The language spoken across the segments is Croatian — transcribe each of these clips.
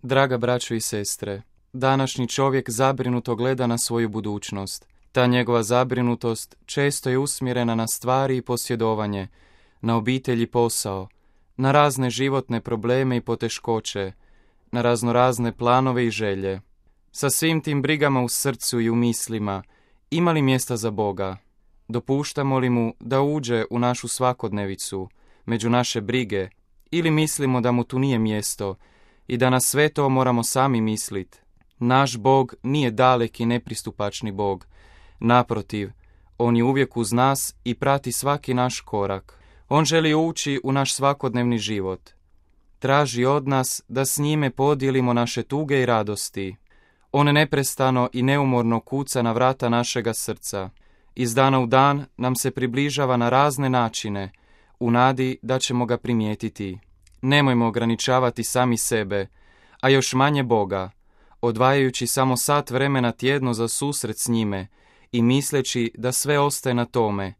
Draga braćo i sestre, današnji čovjek zabrinuto gleda na svoju budućnost. Ta njegova zabrinutost često je usmjerena na stvari i posjedovanje, na obitelj i posao, na razne životne probleme i poteškoće, na raznorazne planove i želje. Sa svim tim brigama u srcu i u mislima, ima li mjesta za Boga? Dopuštamo li mu da uđe u našu svakodnevicu, među naše brige, ili mislimo da mu tu nije mjesto i da na sve to moramo sami misliti? Naš Bog nije dalek i nepristupačni Bog. Naprotiv, on je uvijek uz nas i prati svaki naš korak. On želi ući u naš svakodnevni život. Traži od nas da s njime podijelimo naše tuge i radosti. On neprestano i neumorno kuca na vrata našega srca. Iz dana u dan nam se približava na razne načine, u nadi da ćemo ga primijetiti. Nemojmo ograničavati sami sebe, a još manje Boga, odvajajući samo sat vremena tjedno za susret s njime i misleći da sve ostaje na tome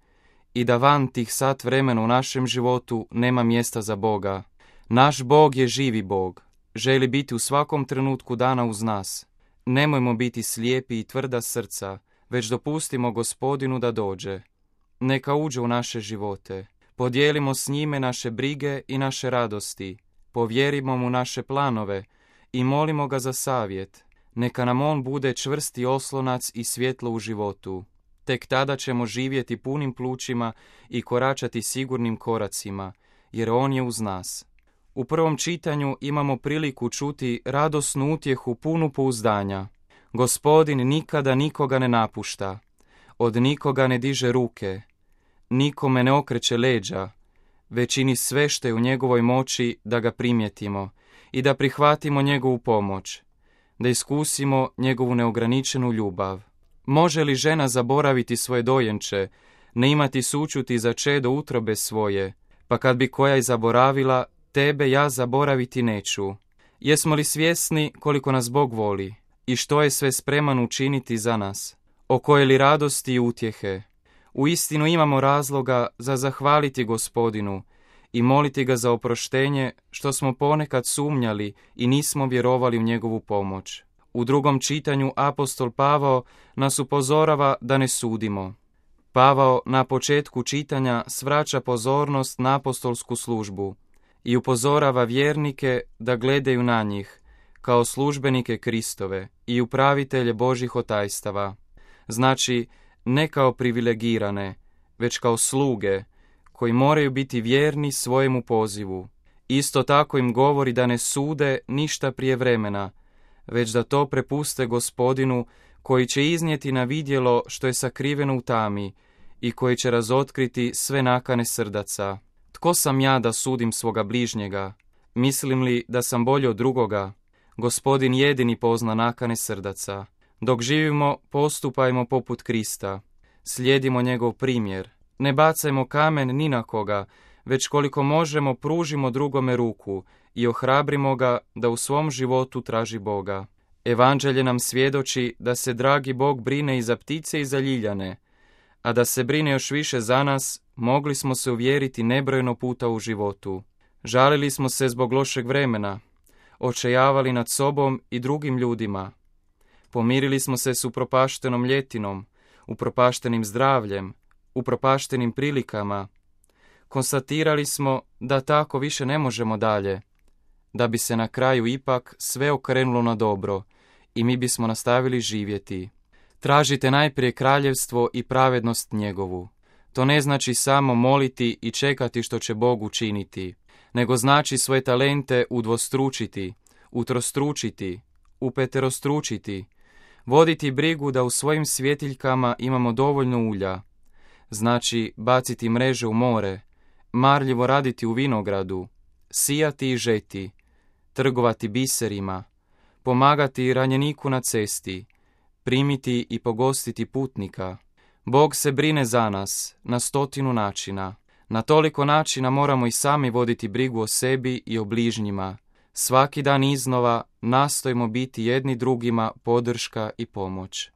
i da van tih sat vremena u našem životu nema mjesta za Boga. Naš Bog je živi Bog, želi biti u svakom trenutku dana uz nas. Nemojmo biti slijepi i tvrda srca, već dopustimo Gospodinu da dođe. Neka uđe u naše živote. Podijelimo s njime naše brige i naše radosti. Povjerimo mu naše planove i molimo ga za savjet. Neka nam on bude čvrsti oslonac i svjetlo u životu. Tek tada ćemo živjeti punim plućima i koračati sigurnim koracima, jer on je uz nas. U prvom čitanju imamo priliku čuti radosnu utjehu punu pouzdanja. Gospodin nikada nikoga ne napušta, od nikoga ne diže ruke, nikome ne okreće leđa, već čini sve što je u njegovoj moći da ga primjetimo i da prihvatimo njegovu pomoć, da iskusimo njegovu neograničenu ljubav. Može li žena zaboraviti svoje dojenče, ne imati sućuti za čedo utrobe svoje, pa kad bi koja i zaboravila, tebe ja zaboraviti neću. Jesmo li svjesni koliko nas Bog voli i što je sve spreman učiniti za nas? O koje li radosti i utjehe? Uistinu imamo razloga za zahvaliti Gospodinu i moliti ga za oproštenje što smo ponekad sumnjali i nismo vjerovali u njegovu pomoć. U drugom čitanju apostol Pavao nas upozorava da ne sudimo. Pavao na početku čitanja svraća pozornost na apostolsku službu i upozorava vjernike da gledaju na njih kao službenike Kristove i upravitelje Božjih otajstava. Znači, ne kao privilegirane, već kao sluge koji moraju biti vjerni svojemu pozivu. Isto tako im govori da ne sude ništa prije vremena, već da to prepuste Gospodinu koji će iznijeti na vidjelo što je sakriveno u tami i koji će razotkriti sve nakane srdaca. Tko sam ja da sudim svoga bližnjega? Mislim li da sam bolji od drugoga? Gospodin jedini pozna nakane srdaca. Dok živimo, postupajmo poput Krista. Slijedimo njegov primjer. Ne bacajmo kamen ni na koga, već koliko možemo pružimo drugome ruku i ohrabrimo ga da u svom životu traži Boga. Evanđelje nam svjedoči da se dragi Bog brine i za ptice i za ljiljane, a da se brine još više za nas, mogli smo se uvjeriti nebrojeno puta u životu. Žalili smo se zbog lošeg vremena, očajavali nad sobom i drugim ljudima. Pomirili smo se s upropaštenom ljetinom, upropaštenim zdravljem, upropaštenim prilikama. Konstatirali smo da tako više ne možemo dalje, da bi se na kraju ipak sve okrenulo na dobro i mi bismo nastavili živjeti. Tražite najprije kraljevstvo i pravednost njegovu. To ne znači samo moliti i čekati što će Bog učiniti, nego znači svoje talente udvostručiti, utrostručiti, upeterostručiti, voditi brigu da u svojim svjetiljkama imamo dovoljno ulja, znači baciti mreže u more, marljivo raditi u vinogradu, sijati i žeti, trgovati biserima, pomagati ranjeniku na cesti, primiti i pogostiti putnika. Bog se brine za nas na 100 načina. Na toliko načina moramo i sami voditi brigu o sebi i o bližnjima. Svaki dan iznova nastojimo biti jedni drugima podrška i pomoć.